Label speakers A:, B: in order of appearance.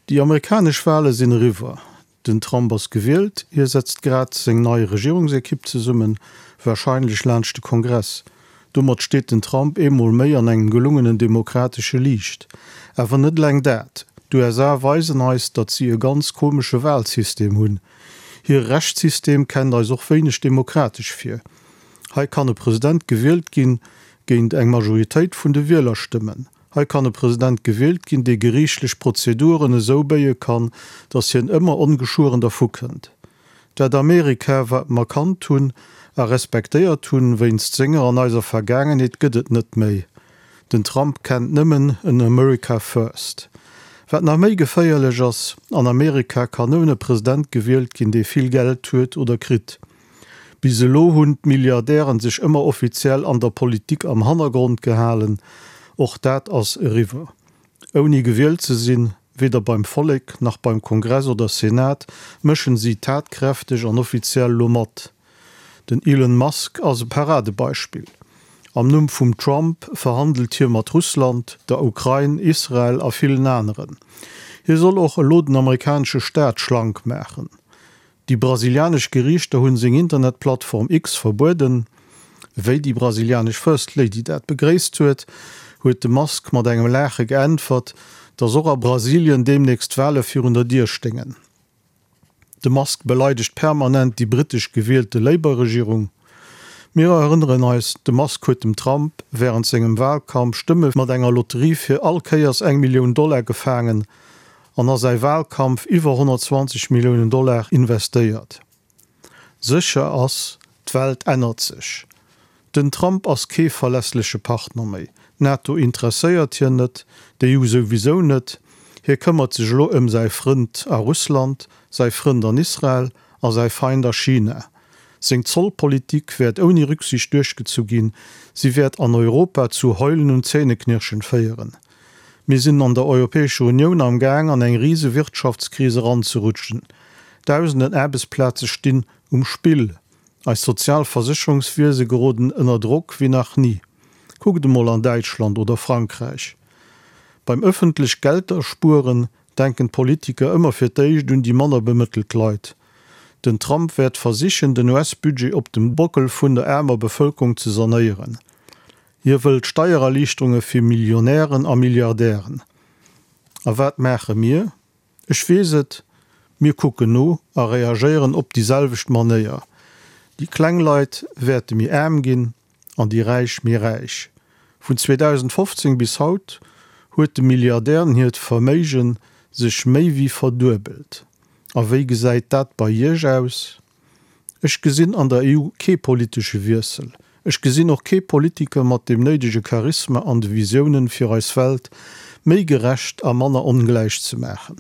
A: Déi amerikanesch Wale sinn eriwwer. Den Trump ass gewielt, hie setzt grad seng nei Regierungsekipp zesummen, warscheinlech laanscht de Kongress. Domat steet den Trump eemol méi an engem gelungenen demokratesche Liicht. Awer net eleng dat, d'USA weisen eis, datt si e ganz komesche Walsystem hunn. Hire Rechtssystem kennt eis och wéineg demokratesch vir. Hei kann e President gewielt ginn géint eng Majoritéit vun de Wielerstëmmen. Hei kann e President gewielt ginn, dee geriichtlech Prozeduren esou béie kann, datt hien ëmmer ongeschueren dervu kënnt. Dat Amerika, wat mer kannt hunn a respektéiert hunn, wéinst senger an eiser Vergaangenheet, gëtt et net méi. Den Trump kennt nëmmen en America First. Wat nach méi geféierlech ass, An Amerika kann nëmmen e President gewielt ginn, dee vill Geld huet oder kritt. Bis elo hunn d'Milliardären sech ëmmer offiziell an der Politik am Hannergrond gehalen. Och dat ass eriwwer. Ouni gewielt ze sinn, weder beim Vollek, nach beim Kongress oder Senat, mëschen si tatkräfteg an offiziell lo mat. Den Elon Musk ass e Paradebeispill. Am Numm vum Trump verhandelt hie mat Russland, der Ukrain, Israel a villen aneren. Hie soll och elo den amerikanesche Staat schlank maachen. Déi brasilianesch Geriichter hunn seng Internetplattform X verbueden. Wéi déi brasilianesch First Lady dat begréisst huet, huet de Musk mat engem Laache geäntwert, datt och a Brasilien deemnächst Wale virun der Dier sténgen. De Musk beleidegt permanent déi brittesch gewielte Labour-Regierung. Mir erënneren eis, de Musk huet dem Trump wärend sengem Walkampf Stëmme mat enger Lotterie fir all Kéiers eng Millioun Dollar gefaangen an a säi Walkampf iwwer 120 Milliounen Dollar investéiert. Sécher ass, d'Welt ännert sech. Den Trump ass kee verlässleche Partner méi. D'NATO interesséiert hien net, d'EU souwisou net. Hie këmmert sech elo ëm säi Frënd a Russland, säi Frënd an Israel a säi Feind a China. Seng Zollpolitik wäert ouni Rücksicht duerchgezu ginn, si wäert an Europa zu Heulen und Zähneknirschen féieren. Mir sinn an der Europäescher Unioun am Gaang an eng rise Wirtschaftskris eranzerutschen. Dausenden Aarbechtsplaze stinn um Spill. Eis sozial Versécherungswiese geroden ënner Drock wéi nach ni. Kuckt emol an Däitschland oder Frankräich. Beim ëffentlech Gelder spueren denken d'Politiker ëmmer fir d'éischt un déi manner bemëttelt Leit. Den Trump wäert versichen den US-Budget op dem Bockel vun der aarmer Bevëlkerung ze sanéieren. Hie wëllt Steiererliichterunge fir Millionären a Milliardären. A wat maache mir? Ech weess et, mir kucken no a reagéieren op déi selwecht Manéier. Déi kleng Leit wäerte méi aarm ginn an déi Räich méi räich. Vun 2015 bis haut huet de Milliardären hiert Verméige sech méi wéi verduebelt. A wéi gesäit dat bei Iech aus? Ech gesinn an der EU kee politesche Wiessel. Ech gesinn och kee Politiker mat deem néidege Charisma an de Visiounen, fir eis Welt méi gerecht a manner ongläich ze maachen.